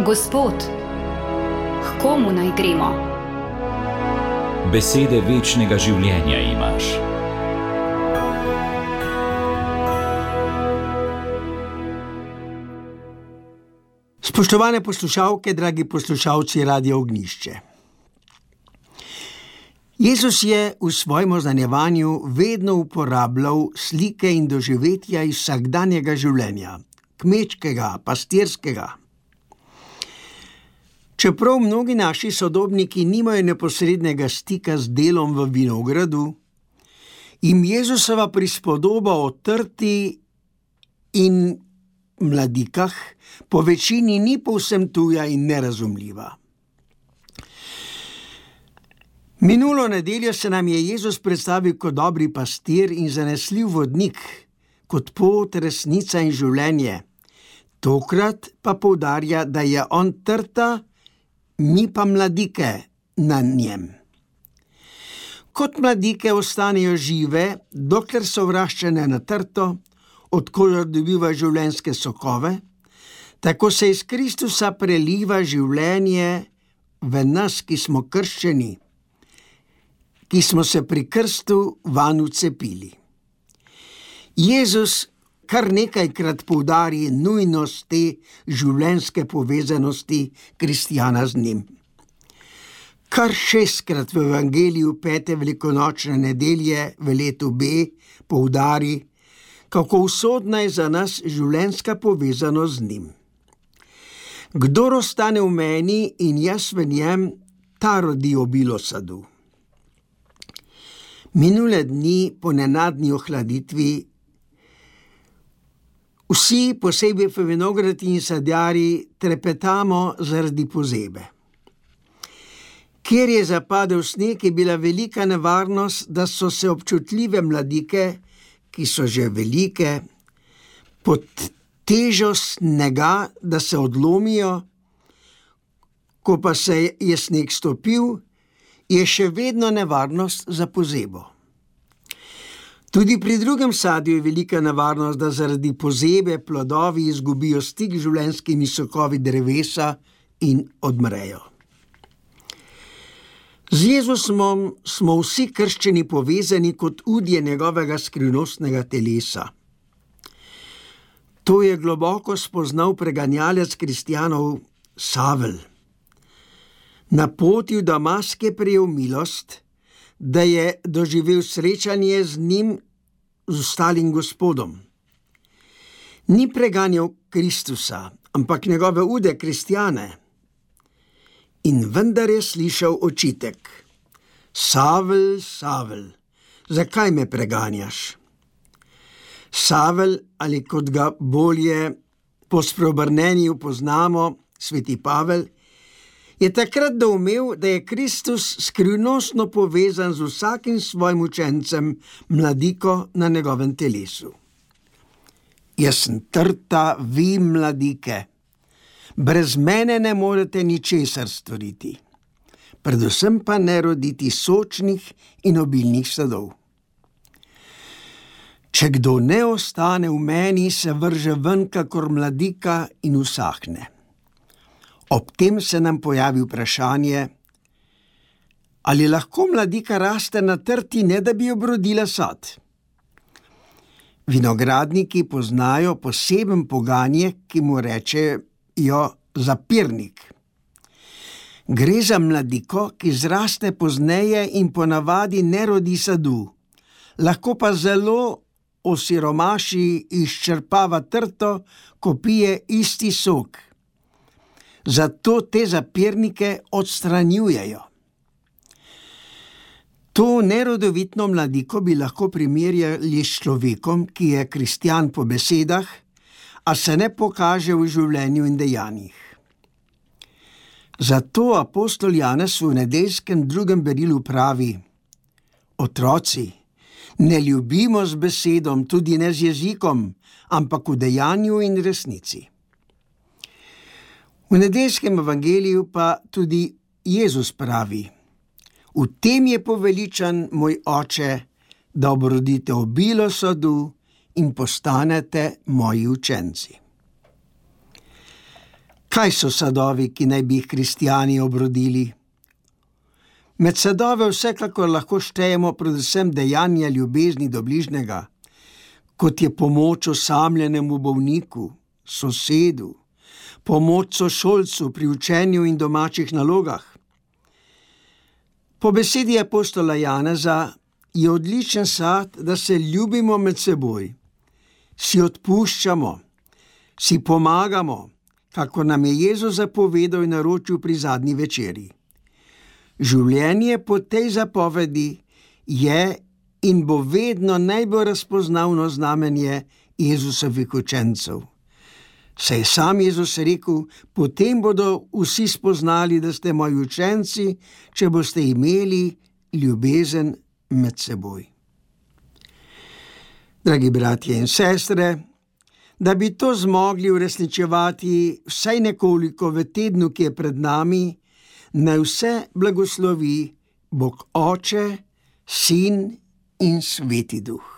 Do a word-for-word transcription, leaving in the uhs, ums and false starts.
Gospod, k komu naj gremo? Besede večnega življenja imaš. Spoštovane poslušalke, dragi poslušalci Radia Ognjišče. Jezus je v svojem oznanjevanju vedno uporabljal slike in doživetja iz vsakdanjega življenja, kmečkega, pastirskega. Čeprav mnogi naši sodobniki nimajo neposrednega stika z delom v vinogradu, jim Jezusova prispodoba o trti in mladikah po večini ni povsem tuja in nerazumljiva. Minulo nedeljo se nam je Jezus predstavil kot dobri pastir in zanesljiv vodnik, kot pot, resnica in življenje. Tokrat pa poudarja, da je on trta, mi pa mladike na njem. Kot mladike ostanejo žive, dokler so vraščene na trto, od koder dobiva življenjske sokove, tako se iz Kristusa preliva življenje v nas, ki smo krščeni, ki smo se pri krstu vanj vcepili. Jezus kar nekajkrat poudari nujnost te življenjske povezanosti kristjana z njim. Kar šestkrat v evangeliju pete velikonočne nedelje v letu B poudari, kako usodna je za nas življenjska povezanost z njim. Kdor ostane v meni in jaz v njem, ta rodi obilo sadu. Minule dni po nenadni ohladitvi vsi, posebej v vinogradi in sadjarji, trepetamo zaradi pozebe. Kjer je zapadel sneg, je bila velika nevarnost, da so se občutljive mladike, ki so že velike, pod težo snega, da se odlomijo, ko pa se je sneg stopil, je še vedno nevarnost za pozebo. Tudi pri drugem sadju je velika nevarnost, da zaradi pozebe plodovi izgubijo stik z življenjskimi sokovi drevesa in odmrejo. Z Jezusom smo vsi krščeni povezani kot udje njegovega skrivnostnega telesa. To je globoko spoznal preganjalec kristjanov Savel. Na poti v Damask je prejel milost, da je doživel srečanje z njim, z ostalim Gospodom. Ni preganjal Kristusa, ampak njegove ude kristjane. In vendar je slišal očitek: Savel, Savel, zakaj me preganjaš? Savel, ali kot ga bolje po spreobrnenju poznamo, sveti Pavel, je takrat doumel, da je Kristus skrivnostno povezan z vsakim svojim učencem, mladiko na njegovem telesu. Jaz sem trta, vi mladike. Brez mene ne morete ničesar storiti, predvsem pa ne roditi sočnih in obilnih sadov. Če kdo ne ostane v meni, se vrže ven kakor mladika in usahne. Ob tem se nam pojavi vprašanje, ali lahko mladika raste na trti, ne da bi obrodila sad. Vinogradniki poznajo poseben poganje, ki mu rečejo zapirnik. Gre za mladiko, ki zraste pozneje in ponavadi ne rodi sadu, lahko pa zelo osiromaši, izčrpava trto, ko pije isti sok. Zato te zapirnike odstranjujejo. To nerodovitno mladiko bi lahko primerjali s človekom, ki je kristjan po besedah, a se ne pokaže v življenju in dejanjih. Zato apostol Janez v nedeljskem drugem berilu pravi: Otroci, ne ljubimo z besedom, tudi ne z jezikom, ampak v dejanju in resnici. V nedeljskem evangeliju pa tudi Jezus pravi: V tem je poveličan moj Oče, da obrodite obilo sadu in postanete moji učenci. Kaj so sadovi, ki naj bi jih kristjani obrodili? Med sadove vsekakor lahko štejemo predvsem dejanja ljubezni do bližnjega, kot je pomoč osamljenemu bolniku, sosedu, pomoč sošolcu pri učenju in domačih nalogah. Po besedi apostola Janeza je odličen sad, da se ljubimo med seboj, si odpuščamo, si pomagamo, kako nam je Jezus zapovedal in naročil pri zadnji večeri. Življenje po tej zapovedi je in bo vedno najbolj razpoznavno znamenje Jezusovih učencev. Saj je sam Jezus rekel, potem bodo vsi spoznali, da ste moji učenci, če boste imeli ljubezen med seboj. Dragi bratje in sestre, da bi to zmogli uresničevati vsaj nekoliko v tednu, ki je pred nami, naj vse blagoslovi Bog Oče, Sin in Sveti Duh.